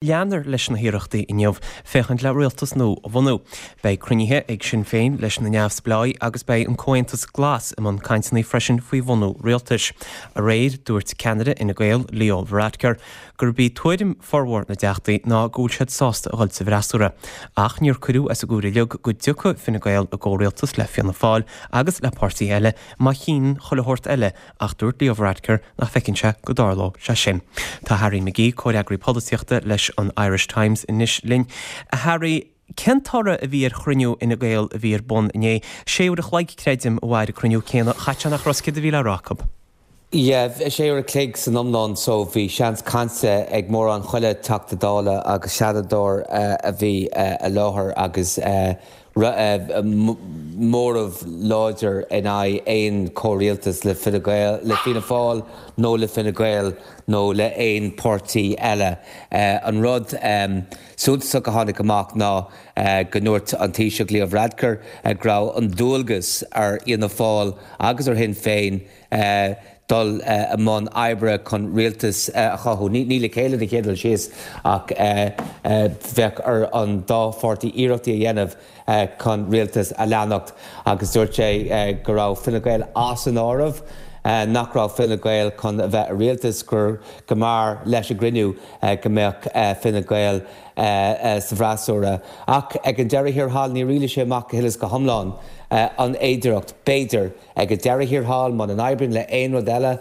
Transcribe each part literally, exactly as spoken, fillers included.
Leanfar leis na hiarrachtaí inniu féachaint le rialtas nua a bhunú. Beidh cruinnithe ag Sinn Féin leis na neamhspleáigh agus beidh an Comhaontas Glas i mbun cainteanna freisin faoi bhunú rialtais. Aréir dúirt ceannaire Fhine Gael Leo Varadkar gurb í tuairim formhór na dteachtaí ná go bhfuil siad sásta a dhul sa bhfreasúra. Ach níor cuireadh as an gcomhaireamh uilig go dtiocfadh Fine Gael i gcomhrialtas le Fianna Fáil agus le páirtí eile má chinneann chuile shórt eile ach dúirt Leo Varadkar nach bhfeiceann sé go dtarlódh sé sin. Tá Harry McGee comhfhreagraí polaitíochta leis an Irish Times anois linn. A Harry, cén toradh a bhí ar chruinniú Fhine Gael a bhí ar bun inné, sé uair a chloig creidim a mhair an cruinniú céanna chaite nach raibh céard a bhí le rá acu. Yeah, sé uair a chloig san iomlán so bhí seans cainte ag mórán chuile Teachta Dála agus Seanadóir a bhí i láthair agus móramh láidir in aghaidh aon chomhrialtas le Fine Gael, le Fianna Fáil nó le Fine Gael nó le aon páirtí eile. An rud suntasach a tháinig amach ná go ndúirt an Taoiseach Leo Varadkar go raibh an dualgas ar Fhianna Fáil agus ar Shinn Féin dul i mbun oibre chun rialtas a chothú. Ní le chéile den chéad dul síos ach bheadh ar an dá pháirtí iarrachtaí a dhéanamh chun rialtas a leanacht agus dúirt sé go raibh Fine Gael as an áireamh, nach raibh Fine Gael chun a bheith i rialtas, gur go mb'fhearr leis an gcruinniú go mbeadh Fine Gael sa bhfreasúra. Ach ag an deireadh thiar thall níor rialaigh sé amach go huile is go hiomlán an fhéidearthacht, b'fhéidir, ag an deireadh thiar thall, muna n-oibríonn le aon rud eile,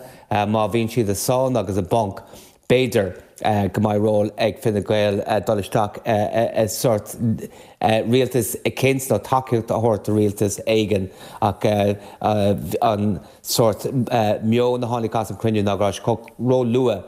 má bhíonn siad i sáinn agus i bponc, b'fhéidir go mbeidh ról ag Fine Gael dul isteach i sórt rialtas eicínt nó tacaíocht a thabhairt do rialtas éigin ach an sórt meon a tháinig as an chruinniú ná go raibh sé ró-luath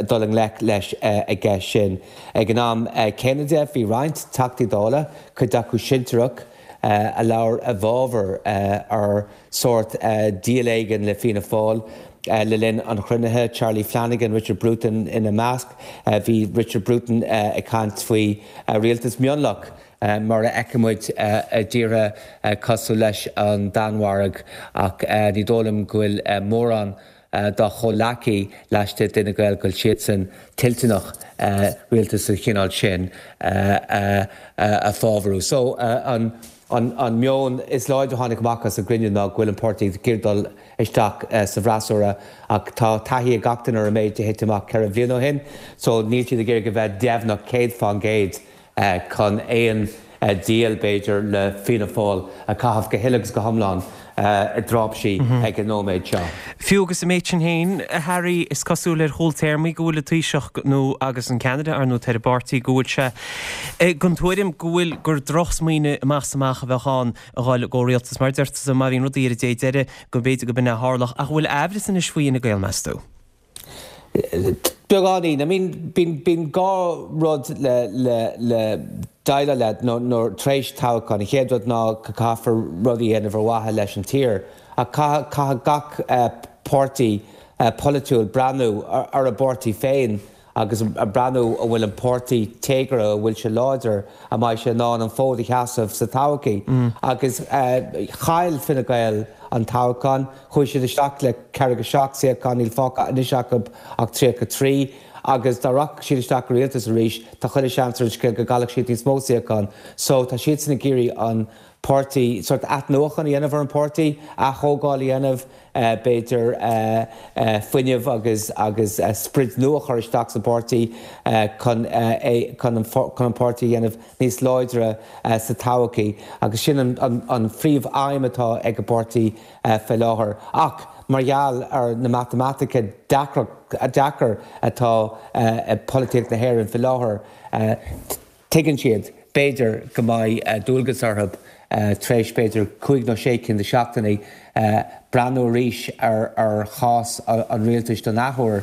dul i ngleic leis an gceist sin. Ag an am céanna de, bhí roinnt Teachtaí Dála, cuid acu sinsearach, a labhair i bhfabhar ar sórt díol éigin le Fianna Fáil le linn an chruinnithe, Charlie Flanagan, Richard Bruton ina measc. Bhí Richard Bruton ag caint faoi rialtas mionlach mar a fheiceann muid i dtíortha cosúil leis an Danmhairg ach ní dóigh liom go bhfuil mórán dá chomhleacaí laistigh d'Fhine Gael go bhfuil siadsan toilteanach rialtas den chineál sin a fábharú. So an an meon is láidre a tháinig amach as an gcruinniú ná go bhfuil an páirtí ag iarraidh dul isteach sa bhfreasúra ach tá taithí ag gach duine ar an méid a thit amach ceithre bhliain ó shin so níl siad ag iarraidh a bheith deimhneach céad fán gcéad chun aon díol, b'fhéidir, le Fianna Fáil a chaitheamh go huile agus go hiomlán i dtráipsí ag an nóiméad seo. Fiú agus an méid sin féin, a Harry, is cosúil ar chúl téarmaí go bhfuil an Taoiseach nó agus an ceannaire, ar ndóigh, ar an bpáirtí, go bhfuil sé den tuairim go bhfuil gur drochsmaoineamh amach is amach a bheadh ann a dhul i gcomhrialtas. Mar a deir tusa, má bhíonn rudaí ar an dé deiridh, go mb'fhéidir go b'in é a tharlódh. Ach an bhfuil aimhreas anois faoi Fhine Gael, meas tú? Beagáinín. I mean, bíonn, bíonn dhá rud le, le, le déileáil le nó, nó tar éis toghcháin. An chéad rud ná go caithfear rudaí a dhéanamh ar mhaithe leis an tír. Ach caithfidh, caithfidh gach páirtí polaitiúil breathnú ar a bpáirtí féin agus breathnú an bhfuil an páirtí téagartha, an bhfuil sé láidir, an mbeidh sé in ann an fód a sheasamh sa todhchaí. Agus chaill Fine Gael an toghchán, chuaigh siad isteach le ceathracha seacht suíochán, níl fágtha anois acu ach tríocha trí, agus dá rachadh siad isteach i rialtas arís, tá chuile sheans ar an scéal go gcaillfeadh siad níos mó suíochán. So tá siadsan ag iarraidh an páirtí, sórt athnuachan a dhéanamh ar an bpáirtí, aththógáil a dhéanamh, b'fhéidir fuinneamh agus agus sprid nua a chur isteach sa bpáirtí chun é chun an chun an páirtí a dhéanamh níos láidre sa todhchaí agus sin an an an phríomh-aidhm atá ag an bpáirtí fé láthair. Ach mar gheall ar na matamaitice deacra deacair atá i polaitíocht na hÉireann fé láthair, Tuigeann siad, b'fhéidir, go mbeidh dualgas orthu, tar éis, b'fhéidir, cúig nó sé cinn de sheachtainí, breathnú arís ar chás an rialtais don athuair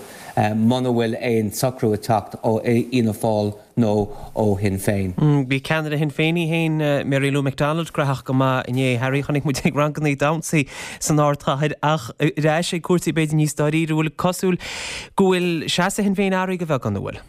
muna bhfuil aon socrú ag teacht ó Fhianna Fáil nó ó Shinn Féin. Bhí ceannaire Shinn Féin í féin, Mary Lou McDonald, graitheach go maith inné. Harry, chonaic muid ag ranganna damhsa san ardchathair ach ar ais ag cúrsaí b'fhéidir níos dáiríre, an bhfuil cosúil go bhfuil seasamh Shinn Féin athraithe go beagán, an bhfuil?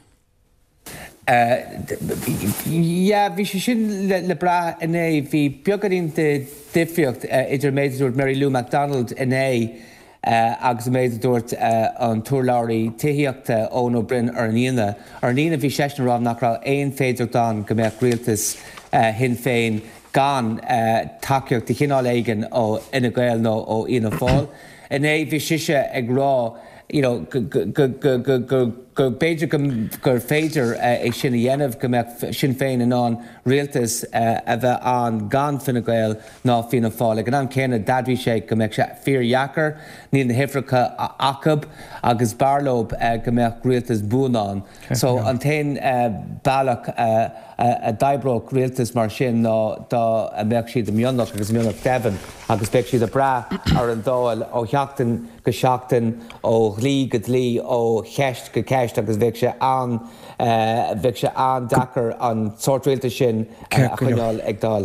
Yeah, bhí sé sin le brath inné. Bhí beagáinín de dhifríocht idir an méid a dúirt Mary Lou McDonald inné agus an méid a dúirt an t-urlabhraí tithíochta Eoin Ó Broin ar an Aoine. Ar an Aoine bhí seisean ag rá nach raibh aon féidearthacht ann go mbeadh rialtas Shinn Féin gan tacaíocht de chineál éigin ó Fhine Gael nó ó Fhianna Fáil. Inné bhí sise ag rá you know go go b'fhéidir gur féidir é sin a dhéanamh, go mbeadh Sinn Féin in ann rialtas a bheith ann gan Fine Gael ná Fianna Fáil. Ag an am céanna d'admhaigh sé go mbeadh sé fíordheacair, níl na huimhreacha acu agus b'fhearr leo go mbeadh rialtas buan ann. So an t-aon bealach a d'oibreodh rialtas mar sin ná dá mbeadh siad i mionlach agus mionlach deimhin agus bheadh siad ag brath ar an Dáil ó sheachtain go seachtain, ó dhlí go dlí, ó cheist go ceist agus bheadh sé an bheadh sé an-deacair an sórt rialtais sin a choinneáil ag dul.